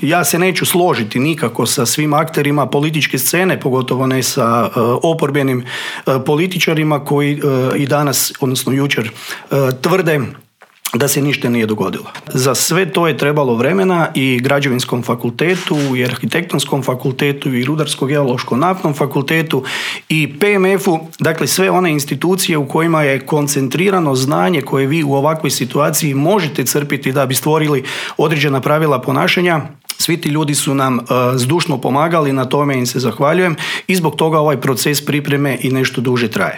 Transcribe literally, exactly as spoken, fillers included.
Ja se neću složiti nikako sa svim akterima političke scene, pogotovo ne sa uh, oporbenim uh, političarima koji uh, i danas, odnosno jučer, uh, tvrde da se ništa nije dogodilo. Za sve to je trebalo vremena i građevinskom fakultetu, i arhitektonskom fakultetu, i rudarsko-geološko-naftnom fakultetu, i P M F-u, dakle sve one institucije u kojima je koncentrirano znanje koje vi u ovakvoj situaciji možete crpiti da bi stvorili određena pravila ponašanja. Svi ti ljudi su nam uh, zdušno pomagali, na tome im se zahvaljujem i zbog toga ovaj proces pripreme i nešto duže traje.